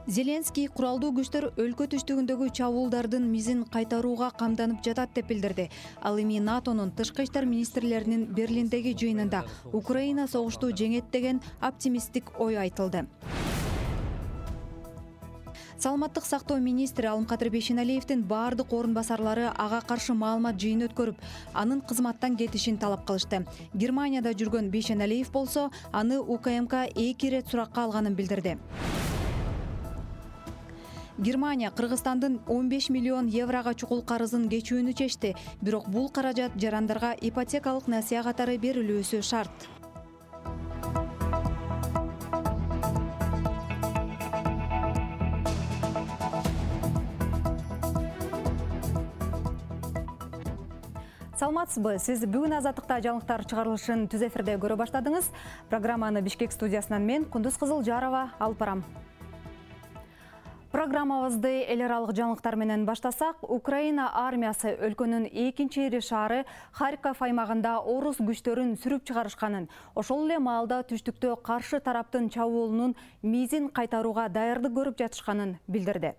Зеленский куралдуу күчтөр өлкө түштүгүндөгү чабуулдардын мизин кайтарууга камданып жатат деп билдирди. Ал эми НАТОнун тышкы иштер министрлеринин Берлиндеги жыйынында Украина согушту жеңет деген оптимисттик ой айтылды. Саламаттык сактоо министри Алымкадыр Бейшеналиевдин баардык орун басарлары ага каршы маалымат жыйын өткөрүп, анын кызматтан кетишин талап кылышты. Германияда жүргөн Бейшеналиев болсо, аны УКМК 2 ирет суракка алганын билдирди. Германия Кыргызстандын 15 миллион еврога чукул карызын кечүүнү чечти, бирок бул каражат жарандарга ипотекалык насыя катары берилүүсү шарт. Саламатсызбы? Сиз бүгүн Азаттыкта жаңылыктар чыгарылышын түз эфирде көрө баштадыңыз. Программаны Бишкек студиясынан мен Кундуз Кызылжарова алып барам. Программабызды эл аралык жаңылыктар менен баштасак, Украина армиясы өлкөнүн экинчи ири шаары Харьков аймагында орус күчтөрүн сүрүп чыгарышканын, ошол эле маалда түштүктө каршы тараптын чабуулунун мизин кайтарууга даярдык көрүп жатышканын билдирди.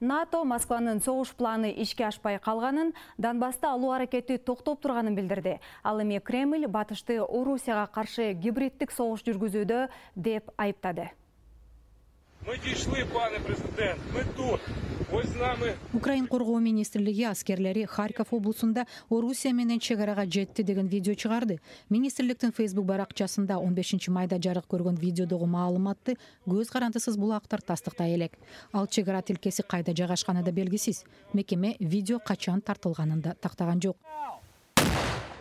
НАТО Москванын согуш планы ишке ашпай калганын, Донбасты алуу аракети токтоп турганын билдирди. Ал эми Кремль Батышты Орусияга каршы гибриддик согуш жүргүзүүдө деп айыптады. Мы дошли, пане президент, мы тут. Ось з нами. Украин коргоо министрлиги аскерлери Харьков облусунда Орусия менен чегарага жетти деген видео чыгарды. Министрликтин Facebook баракчасында 15 майда жарык көргөн видеодогу маалыматты көз карандысыз булактар тастыктай элек. Ал чегара тилкеси кайда жайгашканы да белгисиз. Мекеме видео качан тартылганын да тактаган жок.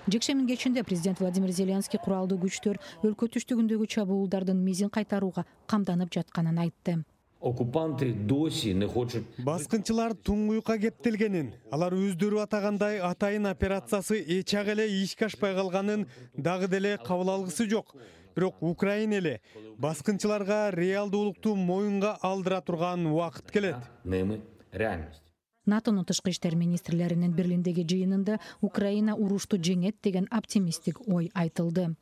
Жекшембинин кечинде президент Владимир Зеленский куралдуу күчтөр өлкө түштүгүндөгү чабуулдардын мизин кайтарууга камданып жатканын айтты. Оккупанты доси не хочет. Баскынчылар туңгуюкка кептелгенин, алар өздөрү атагандай атайын операциясы эчак эле ишке ашпай калганын дагы деле кабыл алгысы жок. Бирок Украина эле баскынчыларга реалдуулукту моюнга алдыра турган убакыт келет. Немы реальность. НАТОнун тышкы иштер министрлеринин Берлиндеги жыйынында Украина урушту жеңет деген оптимисттик ой айтылды.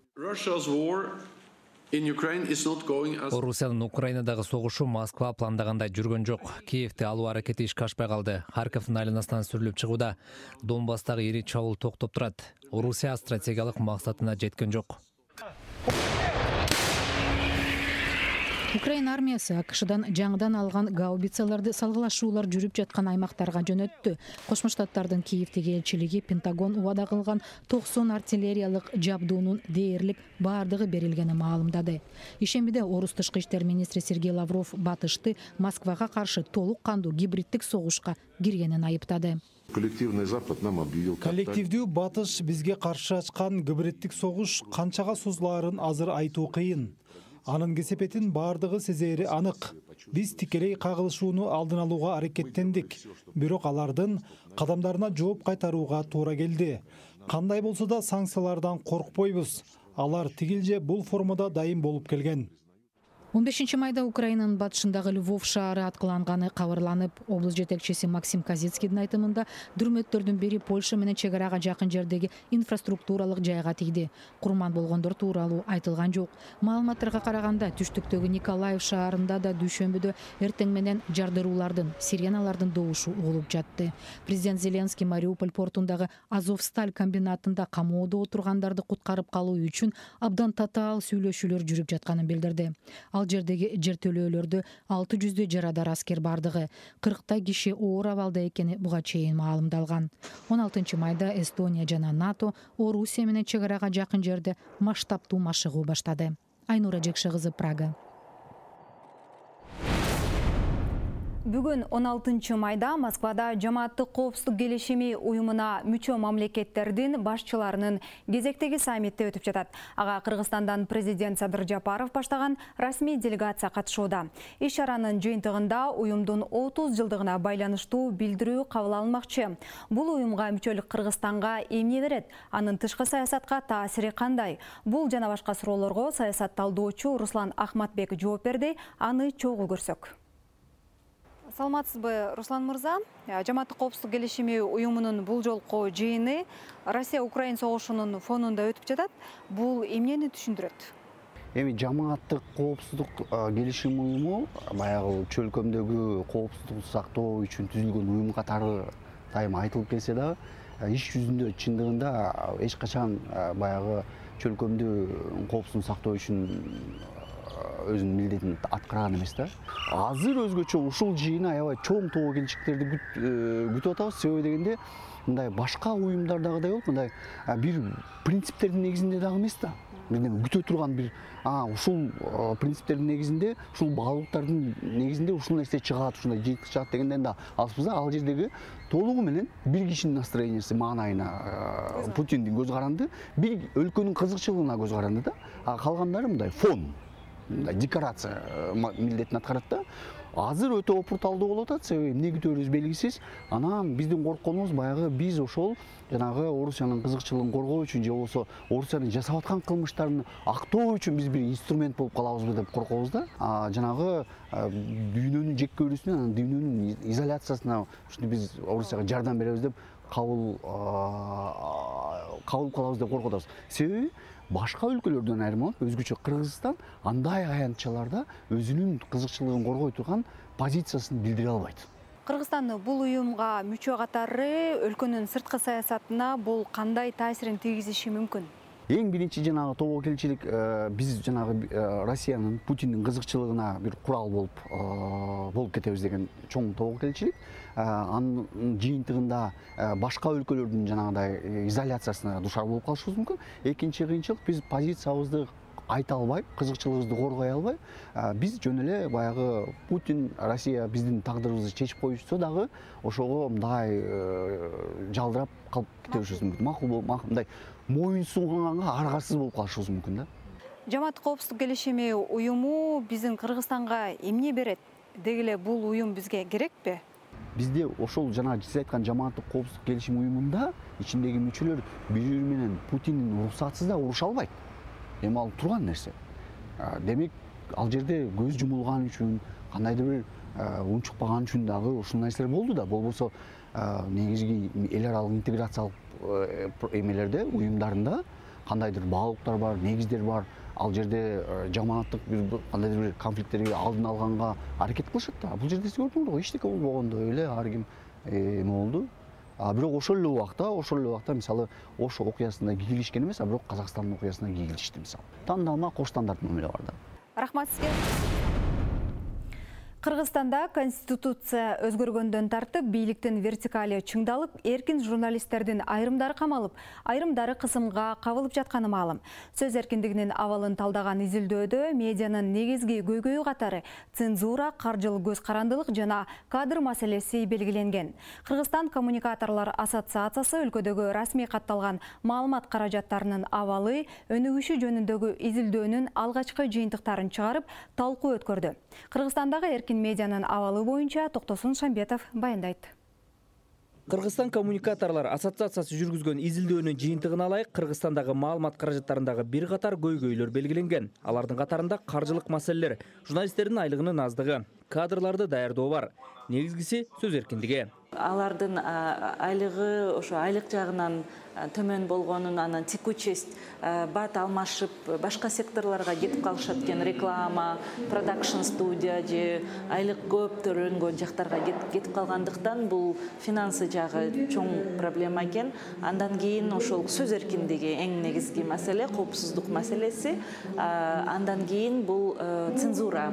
Орусиянын Украинадагы согушу Москва пландагандай жүргөн жок. Киевди алуу аракети ишке ашпай калды. Харьковдун айланасынан сүрүлүп чыгууда. Донбасстагы ири чабуул токтоп турат. Орусия стратегиялык максатына жеткен жок. Украина армиясы АКШдан жаңыдан алган гаубицаларды салгылашуулар жүрүп жаткан аймактарга жөнөттү. Кошмо Штаттардын Киевдеги элчилиги Пентагон убада кылган 90 артиллериялык жабдуунун дээрлик баардыгы берилгени маалымдады. Ишембиде орус тышкы иштер министри Сергей Лавров Батышты Москвага каршы толук кандуу гибриддик согушка киргенин айыптады. Коллективдүү Батыш бизге каршы ачкан гибриддик согуш канчага созулаарын азыр айтуу кыйын. Анын кесепетин баардыгы сезери анык. Биз тикелей кагылышууну алдын алууга аракеттендик. Бирок алардын кадамдарына жооп кайтарууга туура келди. Кандай болсо да санкциялардан коркпойбуз. Алар тигил же бул формада дайым болуп келген. 15 майда Украинанын батышындагы Львов шаары аткыланганы кабарланып, облус жетекчиси Максим Казицкийдин айтымында дүрмөттөрдүн бири Польша менен чегарага жакын жердеги инфраструктуралык жайга тийди. Курман болгондор тууралуу айтылган жок. Маалыматтарга караганда түштүктөгү Николаев шаарында да дүйшөмбүдө эртең менен жардыруулардын, сиреналардын добушу угулуп жатты. Президент Зеленский Мариуполь портундагы Азовсталь комбинатында камоодо отургандарды куткарып калуу үчүн абдан татаал сүйлөшүүлөр жүрүп жатканын билдирди. Ал жердеги жертөлөөлөрдө 600 жарадар аскер бардыгы, 40 киши оор абалда экени буга чейин маалымдалган. 16 майда Эстония жана НАТО Орусия менен чегарага жакын жерде масштабтуу машыгуу баштады. Айнура Жекше кызы, Прага. Бүгүн 16 майда Москвада Жамааттык коопсуздук келишими уюмуна мүчө мамлекеттердин башчыларынын кезектеги саммити өтүп жатат. Ага Кыргызстандан президент Садыр Жапаров баштаган расмий делегация катышууда. Иш чаранын жыйынтыгында уюмдун 30 жылдыгына байланыштуу билдирүү кабыл алынмакчы. Бул уюмга мүчөлүк Кыргызстанга эмне берет? Анын тышкы саясатка таасири кандай? Бул жана башка суроолорго саясат талдоочу Руслан Ахматбек жооп берди. Аны чогуу көрсөк. Саламатсызбы, Руслан мырза? Жамааттык коопсуздук келишими уюмунун бул жолку жыйыны Россия-Украин согушунун фонунда өтүп жатат. Бул эмнени түшүндүрөт? Эми жамааттык коопсуздук келишим уюму баягы чөлкөмдөгү коопсуздукту сактоо үчүн түзүлгөн уюм катары дайыма айтылып келсе дагы, иш жүзүндө чындыгында эч качан баягы чөлкөмдү коопсуздуктун сактоо үчүн өзүнүн милдетин аткарган эмес да. Азыр өзгөчө ушул жыйын аябай чоң тобокелчиликтерди күтүп атабыз. Себеби дегенде мындай башка уюмдардагыдай болуп, мындай бир принциптердин негизинде дагы эмес да. Бирдеме күтө турган бир ушул принциптердин негизинде, ушул баалуулуктардын негизинде ушул нерсе чыгат, ушундай жыйынтык чыгат дегенден да алыспыз. Ал жердеги толугу менен бир кишинин настроениясы маанайына Путиндин көз каранды, бир өлкөнүн кызыкчылыгына көз каранды да. Калгандары мындай фон, декорация милдетин аткарат да. Азыр өтө опурталдуу болуп атат, себеби эмне күтөбүз белгисиз. Анан биздин коркконубуз баягы биз ошол жанагы Орусиянын кызыкчылыгын коргоо үчүн же болбосо Орусиянын жасап аткан кылмыштарын актоо үчүн биз бир инструмент болуп калабызбы деп коркобуз да. Жанагы дүйнөнүн жекке өрүүсүнө, анан дүйнөнүн изоляциясына ушинтип биз Орусияга жардам беребиз деп кабыл калабыз деп коркуп атабыз. Себеби башка өлкөлөрдөн айырмаланып, өзгөчө Кыргызстан андай аянтчаларда өзүнүн кызыкчылыгын коргой турган позициясын билдире албайт. Кыргызстан бул уюмга мүчө катары өлкөнүн сырткы саясатына бул кандай таасирин тийгизиши мүмкүн? Эң биринчи жанагы тобокелчилик биз жанагы Россиянын Путиндин кызыкчылыгына бир курал болуп кетебиз деген чоң тобокелчилик. Анын жыйынтыгында башка өлкөлөрдүн жанагыдай изоляциясына душар болуп калышыбыз мүмкүн. Экинчи кыйынчылык биз позициябызды айта албай, кызыкчылыгыбызды коргой албай, биз жөн эле баягы Путин, Россия биздин тагдырыбызды чечип коюшса дагы ошого мындай жалдырап калып кетишибиз мүмкүн. Макул мындай моюн сунганга аргасыз болуп калышыбыз мүмкүн да. Жамааттык коопсуздук келишими уюму биздин Кыргызстанга эмне берет? Деги эле бул уюм бизге керекпи? Бизде ошол жана сиз айткан жамааттык коопсуздук келишим уюмунда ичиндеги мүчөлөр бири-бири менен Путиндин уруксатысыз да уруша албайт. Эми ал турган нерсе. Демек, ал жерде көз жумулган үчүн, кандайдыр бир унчукпаган үчүн дагы ушул нерселер болду да. Болбосо негизги эл аралык интеграциялык эмелерде, уюмдарында кандайдыр баалуулуктар бар, негиздер бар. Ал жерде жамааттык кандайдыр бир конфликттерди алдын алганга аракет кылышат да. Бул жерде сиз көрдүңүз го, эчтеке болбогондой эле ар ким эме болду. Бирок ошол эле убакта мисалы Ош окуясында кийилишкен эмес, бирок Казакстандын окуясына кийилишти мисалы. Тандалма кош стандарт мамиле бар да. Рахмат сизге. Кыргызстанда конституция өзгөргөндөн тартып, бийликтин вертикали чыңдалып, эркин журналисттердин айрымдары камалып, айрымдары кысымга кабылып жатканы маалым. Сөз эркиндигинин абалын талдаган изилдөөдө медианын негизги көйгөйү катары цензура, каржылык көз карандылык жана кадр маселеси белгиленген. Кыргызстан коммуникаторлор ассоциациясы өлкөдөгү расмий катталган маалымат каражаттарынын абалы, өнүгүшү жөнүндөгү изилдөөнүн алгачкы жыйынтыктарын чыгарып, талкуу өткөрдү. Кыргызстандагы эркин медианын абалы боюнча Токтосун Шамбетов баяндайт. Кыргызстан коммуникаторлор ассоциациясы жүргүзгөн изилдөөнүн жыйынтыгын алайык. Кыргызстандагы маалымат каражаттарындагы бир катар көйгөйлөр белгиленген. Алардын катарында каржылык маселелер, журналисттердин айлыгынын аздыгы, кадрларды даярдоо бар. Негизгиси сөз эркиндиги. Алардын айлыгы ошо айлык жагынан төмөн болгонун, анан текучесть, бат алмашып, башка секторлорго кетип калышат экен, реклама, продакшн студия же айлык көп төлөнгөн жактарга кетип калгандыктан бул финансы жагы чоң проблема экен. Андан кийин ошол сөз эркиндиги эң негизги маселе, коопсуздук маселеси. Андан кийин бул цензура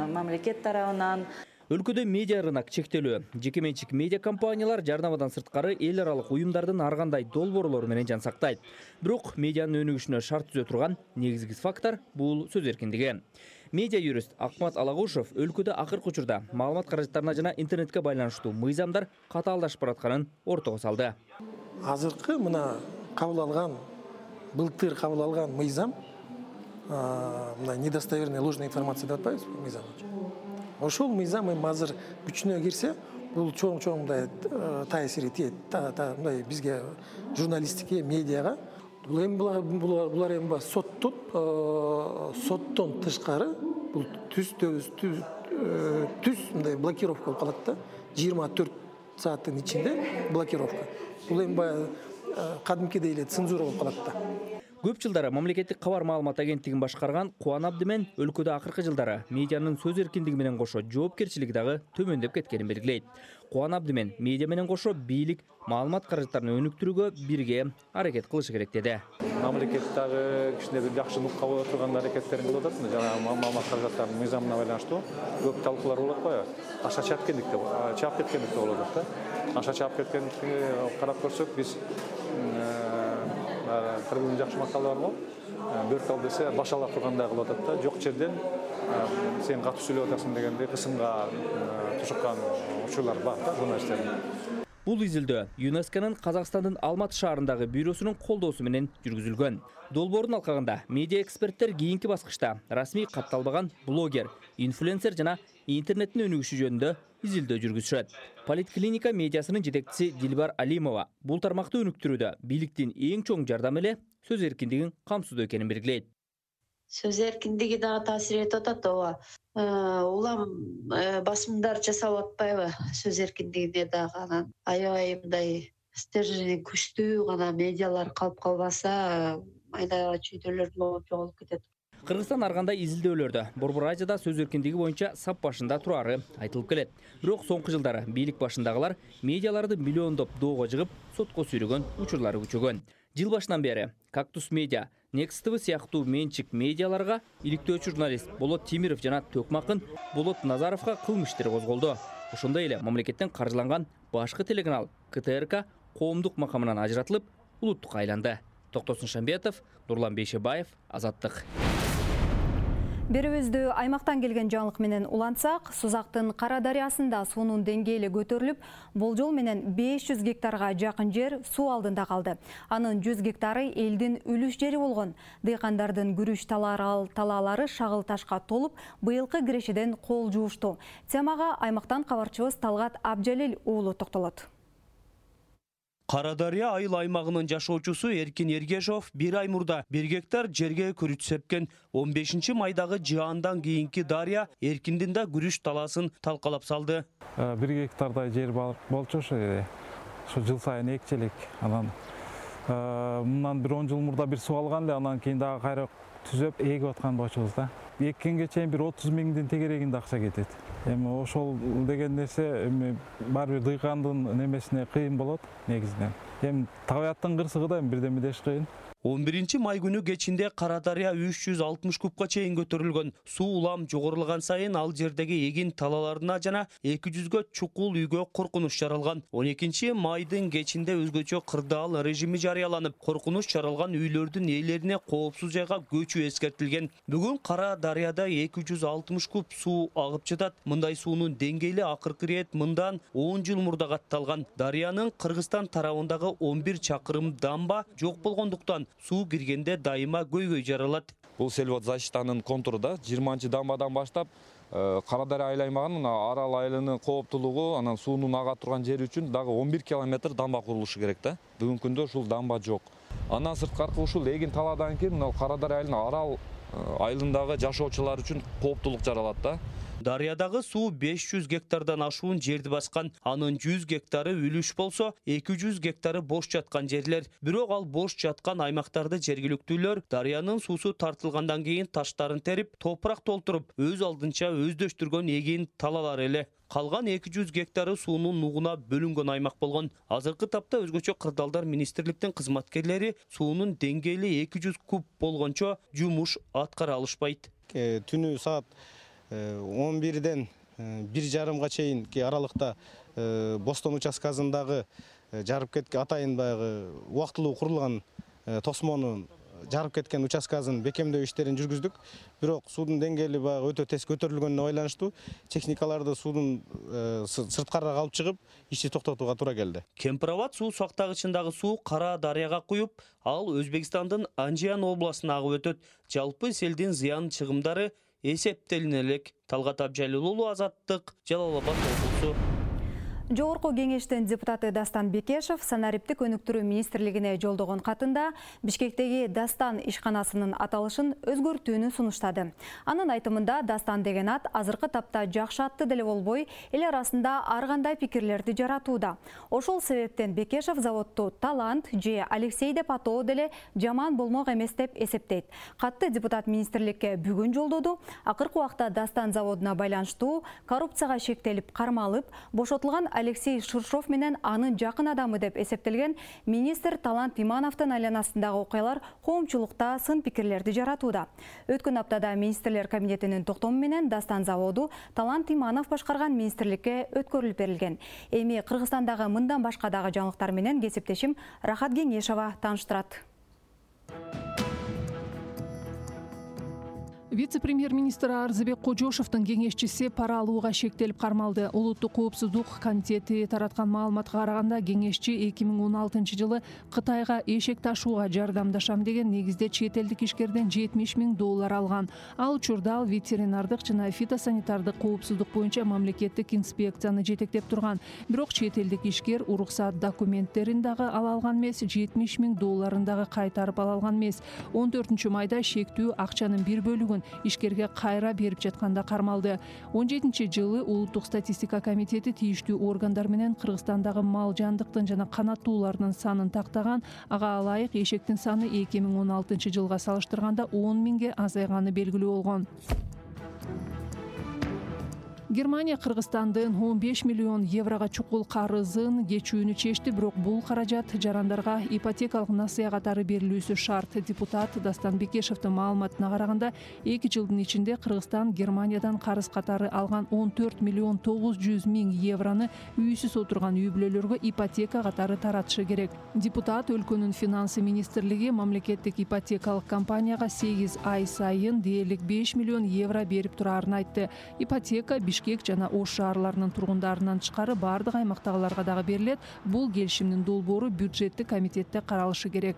мамлекет тарабынан. Өлкөдө медиа рынок чектелүү. Жеке менчик медиа компаниялар жарнамадан сырткары эл аралык уюмдардын ар кандай долбоорлору менен жан сактайт. Бирок медианын өнүгүшүнө шарт түзө турган негизги фактор бул сөз эркиндиги. Медиа юрист Акмат Алагушев өлкөдө акыркы учурда маалымат каражаттарына жана интернетке байланыштуу мыйзамдар катаалдашып баратканын ортого салды. Азыркы мына кабыл алган, былтыр кабыл алган мыйзам, мына недостоверная ложная информация деп атпайбыз мыйзам. Ошол мыйзам эми азыр күчүнө кирсе, бул чоң мындай таасири тиет, мындай бизге журналистикке, медиага. Булар эми соттон тышкары бул түз мындай блокировка болуп калат да. 24 сааттын ичинде блокировка. Бул эми кадимкидей эле цензура болуп калат да. Көп жылдары мамлекеттик кабар маалымат агенттигин башкарган Кубан Абдимен өлкөдө акыркы жылдары медианын сөз эркиндиги менен кошо жоопкерчилиги дагы төмөндөп кеткенин белгилейт. Кубан Абдимен медиа менен кошо бийлик маалымат каражаттарын өнүктүрүүгө бирге аракет кылышы керек деди. Мамлекет дагы кичине бир жакшы нукка боло турган аракеттерин кылып атат. Жана маалымат каражаттарынын мыйзамына байланыштуу көп талкуулар болуп атпайбы? Аша чаап кеткендик болуп атат да. Аша чаап кеткендикти карап көрсөк, биз кыргыздын жакшы макалы барбы? Бөркал десе башалап тургандай кылып атат да. Жок жерден сен катуу сүйлөп атасың дегенде кысымга тушуккан учурлар бар да журналисттердин. Бул изилдөө ЮНЕСКОнун Казакстандын Алматы шаарындагы бюросунун колдоосу менен жүргүзүлгөн. Долбоордун алкагында медиа эксперттер кийинки баскычта расмий катталбаган блогер, инфлюенсер жана интернеттин өнүгүшү жөнүндө изилдөө жүргүзүшөт. Политклиника медиасынын жетекчиси Дилбар Алимова бул тармакты өнүктүрүүдө бийликтин эң чоң жардамы эле сөз эркиндигин камсыздоо экенин белгилейт. Сөз эркиндиги дагы таасир этип атат, ооба. Улам басымдар жасап атпайбы сөз эркиндигине дагы анан аябай мындай стержени күчтүү гана медиалар калып калбаса, майда чүйдөлөр жоголуп кетет. Кыргызстан ар кандай изилдөөлөрдө Борбор Азияда сөз эркиндиги боюнча сап башында турары айтылып келет. Бирок соңку жылдары бийлик башындагылар медиаларды миллиондоп доого жыгып, сотко сүйрөгөн учурлары күчөгөн. Жыл башынан бери Кактус Медиа, Next TV сыяктуу менчик медиаларга иликтөөчү журналист Болот Тимиров жана Төкмакын Болот Назаровго кылмыш иштери козголду. Ошондой эле мамлекеттен каржыланган башкы телеканал КТРК коомдук макамынан ажыратылып, улуттукка айланды. Токтосун Шамбетов, Нурлан Бейшебаев, Азаттык. Берүүбүздү аймактан келген жаңылык менен улантсак, Сузактын Кара дарыясында суунун деңгээли көтөрүлүп, болжол менен 500 гектарга жакын жер суу алдында калды. Анын 100 гектары элдин үлүш жери болгон. Дыйкандардын күрүч талаалары шагыл ташка толуп, быйылкы кирешеден кол жуушту. Темага аймактан кабарчыбыз Талгат Абжалил уулу токтолот. Кара дарыя айыл аймагынын жашоочусу Эркин Ергешов 1 ай мурда 1 гектар жерге күрүч сепкен. 15 майдагы жаандан кийинки дарыя Эркиндин да күрүч талаасын талкалап салды. 1 гектардай жер болчу ошо жыл сайын экчелик. Анан мындан 10 жыл мурда бир суу алган эле, анан кийин дагы кайра түзөп эгип аткан болчубуз да. Эккенге чейин бир 30 миңдин тегерегинде акча кетет. Эми ошол деген нерсе баары бир дыйкандын немесине кыйын болот негизинен. Эми табияттын кырсыгы да бирден бир кыйын. 11 май күнү кечинде Кара дарыя 360 кубка чейин көтөрүлгөн. Суу улам жогорулаган сайын ал жердеги эгин талааларына жана 200гө чукул үйгө коркунуч жаралган. 12 майдын кечинде өзгөчө кырдаал режими жарыяланып, коркунуч жаралган үйлөрдүн ээлерине коопсуз жайга көчүү эскертилген. Бүгүн Кара дарыяда 260 куб суу агып жатат. Мындай суунун деңгээли акыркы ирет мындан 10 жыл мурда катталган. Дарыянын Кыргызстан тарабындагы 11 чакырым дамба жок болгондуктан суу киргенде дайыма көйгөй жаралат. Бул сельводзащитанын контуру да 20 дамбадан баштап Кара дарыя айыл аймагынын Арал айылынын кооптулугу, анан суунун ага турган жери үчүн дагы 11 километр дамба курулушу керек да. Бүгүнкү күндө ушул дамба жок. Андан сырткары ушул эгин талаадан кийин Кара дарыя айылынын Арал айылындагы жашоочулар үчүн кооптулук жаралат да. Дарыядагы суу 500 гектардан ашуун жерди баскан. Анын 100 гектары үлүш болсо, 200 гектары бош жаткан жерлер. Бирок ал бош жаткан аймактарды жергиликтүүлөр дарыянын суусу тартылгандан кийин таштарын терип, топурак толтуруп, өз алдынча өздөштүргөн эгин талаалар эле. Калган 200 гектары суунун нугуна бөлүнгөн аймак болгон. Азыркы тапта өзгөчө кырдаалдар министрликтин кызматкерлери суунун деңгээли 200 куб болгончо жумуш аткара алышпайт. Түнү саат 11-ден 1:30га чейинки аралыкта Бостон участкасындагы жарып кеткен атайын баягы убактылуу курулган тосмонун жарып кеткен участкасын бекемдөө иштерин жүргүздүк. Бирок суунун деңгээли баягы өтө тез көтөрүлгөнүнө байланыштуу техникаларды суунун сырткарак алып чыгып, ишти токтотууга туура келди. Кемпирабад суу сактагычындагы суу Кара дарыяга куюп, ал Өзбекстандын Анжиян областына агып өтөт. Жалпы селдин зыян чыгымдары эсептелине элек. Талгат Абжалил уулу, Азаттык, Жалал Абад облусу. Жогорку кеңештин депутаты Дастан Бекешев санариптик өнүктүрүү министрлигине жолдогон катында Бишкектеги Дастан ишканасынын аталышын өзгөртүүнү сунуштады. Анын айтымында Дастан деген ат азыркы тапта жакшы атты деле болбой, эл арасында ар кандай пикирлерди жаратууда. Ошол себептен Бекешев заводду талант же Алексей деп атоо деле жаман болмок эмес деп эсептейт. Катты депутат министрликке бүгүн жолдоду. Акыркы убакта Дастан заводуна байланыштуу коррупцияга шектелип кармалып, бошотулган Алексей Ширшов менен анын жакын адамы деп эсептелген министр Талант Имановдун айланасындагы окуялар коомчулукта сын пикирлерди жаратууда. Өткөн аптада министрлер кабинетинин токтому менен Дастан заводу Талант Иманов башкарган министрликке өткөрүлүп берилген. Эми Кыргызстандагы мындан башка дагы жаңылыктар менен кесиптешим Рахат Кеңешова тааныштырат. Вице-премьер-министр Арзыбек Кожошовдун кеңешчиси пара алууга шектелип кармалды. Улуттук коопсуздук комитети тараткан маалыматка караганда, кеңешчи 2016 жылы Кытайга эшек ташууга жардамдашам деген негизде чет элдик ишкерден $70 000 алган. Ал учурда ал ветеринардык жана фитосанитардык коопсуздук боюнча мамлекеттик инспекцияны жетектеп турган. Бирок чет элдик ишкер уруксат документтерин дагы ала алган эмес, $70 000 дагы кайтарып ала алган эмес. 14 майда шектүү акчанын бир бөлүгүн ишкерге кайра берип жатканда кармалды. 17 жылы Улуттук статистика комитети тийиштүү органдар менен Кыргызстандагы мал жандыктын жана канаттуулардын санын тактаган. Ага ылайык эшектин саны 2016 жылга салыштырганда 10 000 азайганы белгилүү болгон. Германия Кыргызстандын 15 миллион еврога чукул карызын кечүүнү чечти, бирок бул каражат жарандарга ипотекалык насыя катары берилүүсү шарт. Депутат Дастан Бекешевдин маалыматына караганда, 2 жылдын ичинде Кыргызстан Германиядан карыз катары алган 14 миллион 900 000 евроны үйсүз отурган үй бүлөлөргө ипотека катары таратышы керек. Депутат өлкөнүн финансы министрлиги мамлекеттик ипотекалык компанияга 8 ай сайын дээрлик 5 миллион евро берип турарын айтты. Ипотека Бишкек жана Ош шаарларынын тургундарынан тышкары бардык аймактагыларга дагы берилет. Бул келишимдин долбоору бюджеттик комитетте каралышы керек.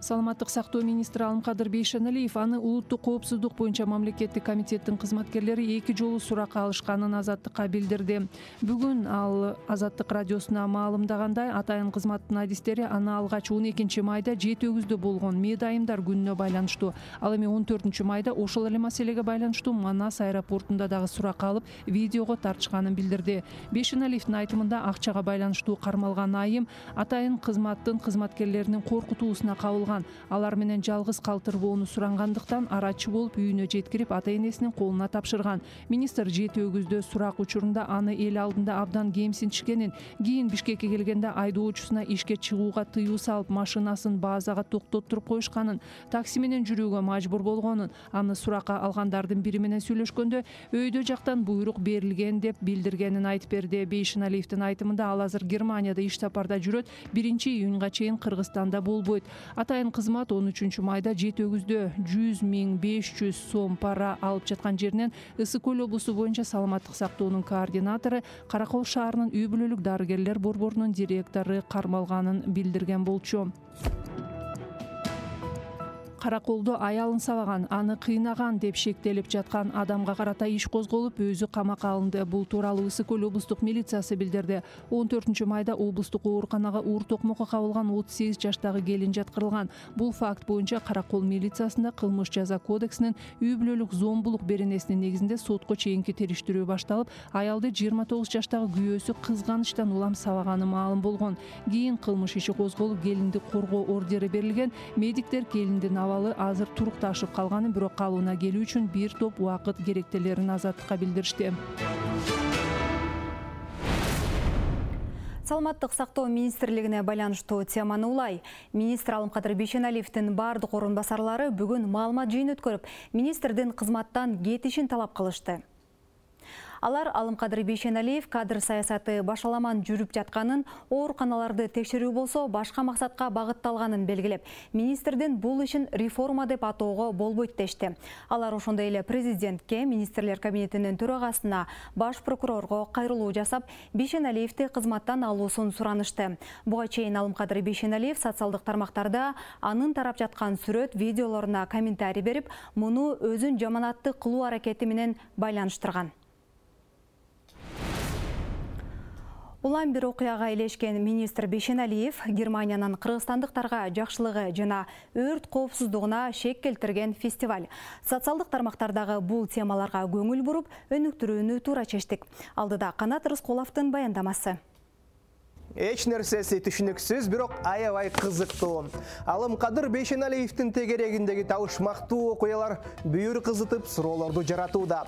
Саламаттык сактоо министри Алымкадыр Бейшеналиев аны улуттук коопсуздук боюнча мамлекеттик комитеттин кызматкерлери 2 жолу суракка алышканын Азаттыкка билдирди. Бүгүн ал Азаттык радиосуна маалымдагандай, атайын кызматтын адистери аны алгач 12 майда жет өгүздө болгон медайымдар күнүнө байланыштуу. Ал эми 14 майда ошол эле маселеге байланыштуу Манас аэропортунда дагы суракка алып, видеого тартышканын билдирди. Бейшеналиевдин айтымында, акчага байланыштуу кармалган айым атайын кызматтын кызматкерлеринин коркутуусуна кабылган. Алар менен жалгыз калтырбоону сурангандыктан арачы болуп үйүнө жеткирип ата-энесинин колуна тапшырган. Министр жет өгүздө сурак учурунда аны эл алдында абдан кемсинтишкенин, кийин Бишкекке келгенде айдоочусуна ишке чыгууга тыюу салып, машинасын базага токтоттуруп коюшканын, такси менен жүрүүгө мажбур болгонун, аны суракка алгандардын бири менен сүйлөшкөндө өйдө жактан буйрук берилген деп билдиргенин айтып берди. Бейшеналиевдин айтымында, ал азыр Германияда иш сапарда жүрөт, 1-июнга чейин Кыргызстанда болбойт. Атайын кызмат 13 майда жет өгүздө 100 500 сом пара алып жаткан жеринен Ысык Көл облусу боюнча саламаттык сактоонун координатору, Каракол шаарынын үй бүлөлүк дарыгерлер борборунун директору кармалганын билдирген болчу. Караколдо аялын сабаган, аны кыйнаган деп шектелип жаткан адамга карата иш козголуп, өзү камакка алынды. Бул тууралуу Ысык Көл облустук милициясы билдирди. 14 майда облустук ооруканага уур токмокко кабылган 38 жаштагы келин жаткырылган. Бул факт боюнча Каракол милициясында кылмыш жаза кодексинин үй бүлөлүк зомбулук беренесинин негизинде сотко чейинки териштирүү башталып, аялды 29 жаштагы күйөөсү кызганычтан улам сабаганы маалым болгон. Кийин кылмыш иши козголуп, келинди коргоо ордери берилген. Медиктер келиндин азыр турукташып калганын, бирок калууна келүү үчүн бир топ убакыт керектелерин Азаттыкка билдиришти. Саламаттык сактоо министрлигине байланыштуу теманы улай. Министр Алымкадыр Бейшеналиевдин бардык орун басарлары бүгүн маалымат жыйын өткөрүп, министрдин кызматтан кетишин талап кылышты. Алар Алымкадыр Бейшеналиев кадр саясаты башаламан жүрүп жатканын, ооруканаларды текшерүү болсо башка максатка багытталганын белгилеп, министрдин бул ишин реформа деп атоого болбойт дешти. Алар ошондой эле президентке, министрлер кабинетинин төрагасына, баш прокурорго кайрылуу жасап, Бейшеналиевди кызматтан алуусун суранышты. Буга чейин Алымкадыр Бейшеналиев социалдык тармактарда анын тарап жаткан сүрөт, видеолоруна комментарий берип, муну өзүн жаманатты кылуу аракети менен байланыштырган. Улам бир окуяга илешкен министр Бейшеналиев Германиянын кыргызстандыктарга жакшылыгы жана өрт коопсуздугуна шек келтирген фестиваль. Социалдык тармактардагы бул темаларга көңүл буруп, өнүктүрүүнү туура чечтик. Алдыда Канат Рыскуловдун баяндамасы. Эч нерсеси түшүнүксүз, бирок аябай кызыктуу. Алымкадыр Бейшеналиевдин тегерегиндеги табышмактуу окуялар бүйүр кызытып, суроолорду жаратууда.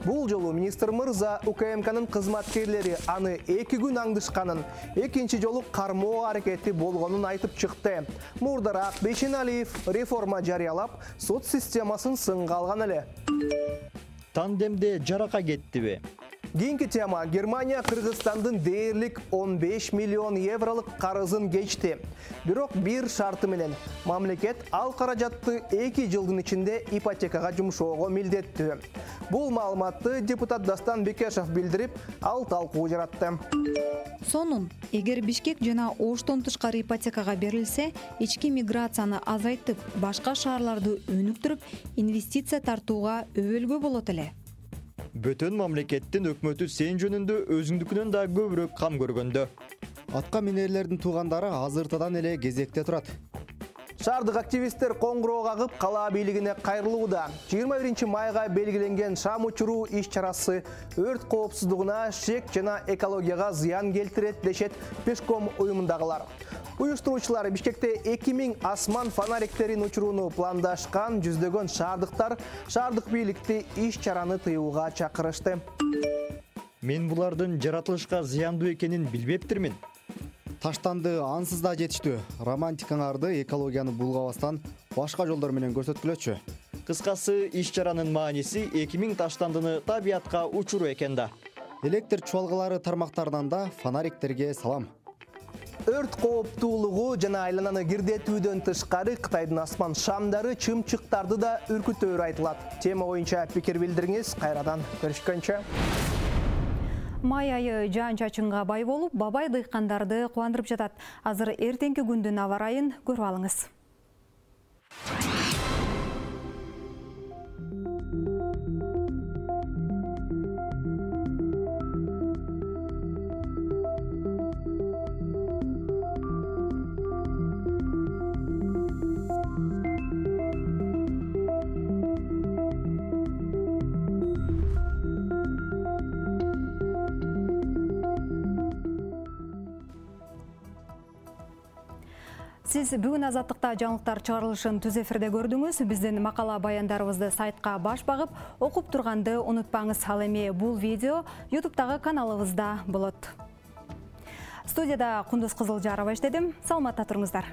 Бул жолу министр мырза УКМКнын кызматкерлери аны 2 күн аңдышканын, экинчи жолу кармоо аракети болгонун айтып чыкты. Мурдараак Бейшеналиев реформа жарыялап, сот системасын сынга алган эле. Тандемде жарака кеттиби? Кийинки тема: Германия Кыргызстандын дээрлик 15 миллион евролук карызын кечти. Бирок бир шарты менен мамлекет ал каражатты 2 жылдын ичинде ипотекага жумшоого милдеттүү. Бул маалыматты депутат Дастан Бекешев билдирип, ал талкуу жаратты. Сонун, эгер Бишкек жана Оштон тышкары ипотекага берилсе, ички миграцияны азайтып, башка шаарларды өнүктүрүп, инвестиция тартууга өбөлгө болот эле. Бөтөн мамлекеттин өкмөтү сен жөнүндө өзүңдүкүнөн да көбүрөөк кам көргөндө. Атка минерлердин туугандары азыртадан эле кезекте турат. Шаардык активисттер коңгуроо кагып, кала бийлигине кайрылууда. 21 майга белгиленген шам учуруу иш-чарасы өрт коопсуздугуна шек жана экологияга зыян келтирет дешет Пешком уюмундагылар. Уюштуруучулар Бишкекте 2000 асман фонариктерин учурууну пландашкан, жүздөгөн шаардыктар шаардык бийликти иш-чараны тыюуга чакырышты. Мен булардын жаратылышка зыяндуу экенин билбептирмин. Таштанды ансыз да жетиштүү. Романтикаңарды экологияны булгабастан башка жолдор менен көрсөткүлөчү. Кыскасы, иш-чаранын мааниси 2000 таштандыны табиятка учуруу экен да. Электр чуалгалары тармактарынан да фонариктерге салам. Өрт кооптуулугу жана айлананы кирдетүүдөн тышкары Кытайдын асман шамдары чымчыктарды да үркүтөөрү айтылат. Тема боюнча пикир билдириңиз. Кайрадан көрүшкөнчө. Май айы жаан-чачынга бай болуп, бабай дыйкандарды кубандырып жатат. Азыр эртеңки күндүн аба ырайын көрүп алыңыз. Сиз бүгүн Азаттыкта жаңылыктар чыгарылышын түз эфирде көрдүңүз. Биздин макала баяндарыбызды сайтка баш багып, окуп турганды унутпаңыз. Ал эми бул видео YouTube'дагы каналыбызда болот. Студияда Кундуз Кызылжарова иштедим. Саламатта туруңуздар.